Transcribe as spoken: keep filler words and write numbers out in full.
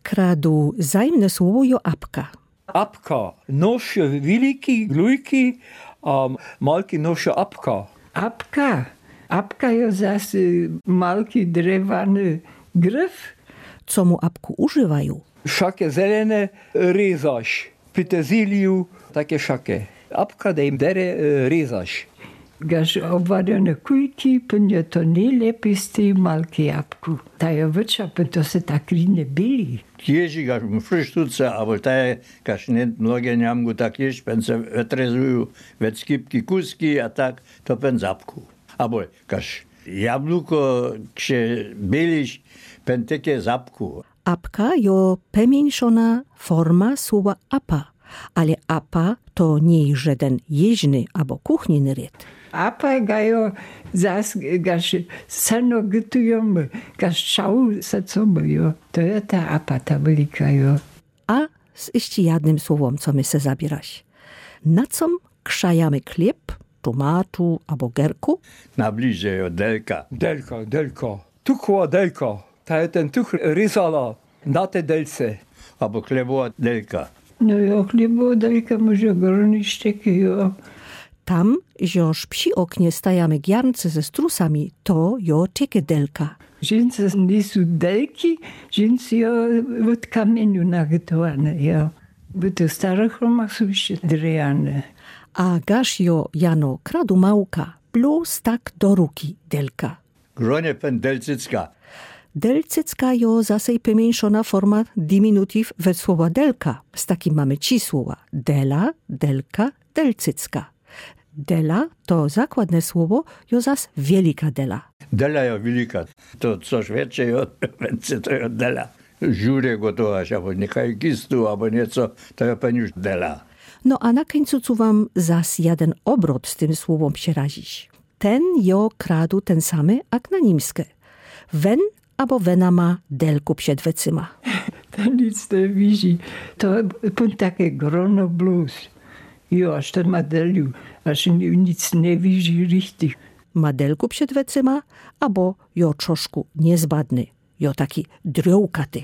kradu zajmné słowo jo apka. Apka, nosze wiliki glujki, a malki nosze apka. Apka. Apka jo zas malki drewany gryf. Co mu apku używaju? Szake zelene, ryzarz, peterzyliju, take szake. Apka dej dere, ryzarz. Gasz obwadane kujki, pewnie to nojlepij z tej malki apku. Ta jo wycza, pewnie to se tak rine byli. Jeżi gasz mu frisztuce, abo te gasz nie mnogie niamgu tak jesz, pewnie se wetrezuju we skipki kuski, a tak to pewnie zapku. Abo gasz jabluko, ksze bylisz, pewnie teke zapku. Apka jo pemieńszona forma słowa apa, ale apa to niy żeden jeźny abo kuchniny rid. Apa gajo zas gasz seno gytujemy, gasz szału se co my, jo. To jo ta apa, ta wielika, jo. A z jeszcze jednym słowom, co my se zabierasz. Na com krzajomy chlieb, tomatu abo gerku? Na bliże jo delka. Delka, delka. Tuchła delka. Ta je ten tuch ryzala na te delce. Abo chlebowa delka. No jo, chlebowa delka może groniszczeki, jo. Tam, żoż przi oknie stajomy giarnce ze strusami, to jo czeke delka. Żeńce nisu delki, żeńce jo od kamieniu narytowane, jo. Bo te stare chroma su jeszcze drewjane. A gasz jo jano kradu małka, blós tak do ruki delka. Gronie pewnie delcycka. Delcycka jo zasej pemieńszona forma diminutiv we słowa delka. Z takim mamy trzi słowa. Dela, delka, delcycka. Dela to zakładne słowo, jo zas wielika dela. Dela jo wielika. To co szwece jo, wicy to jo dela. Żurek gotowasz, abo niechaj kistu, abo nieco, to jo pewnie już dela. No a na kùńcu chcã wam zas jeden obrot z tym słowom przerazić. Ten jo kradu ten samy, jak na nimske. Wen abo wena ma delku przed wecyma. Ten nic nie widzi. To pón take grono blós. Jo, aż ten ma delu, aż ni-, nic nie widzi richtig. Ma delku przed wecyma, abo jo troszkù niezbadny, jo taki drewkaty.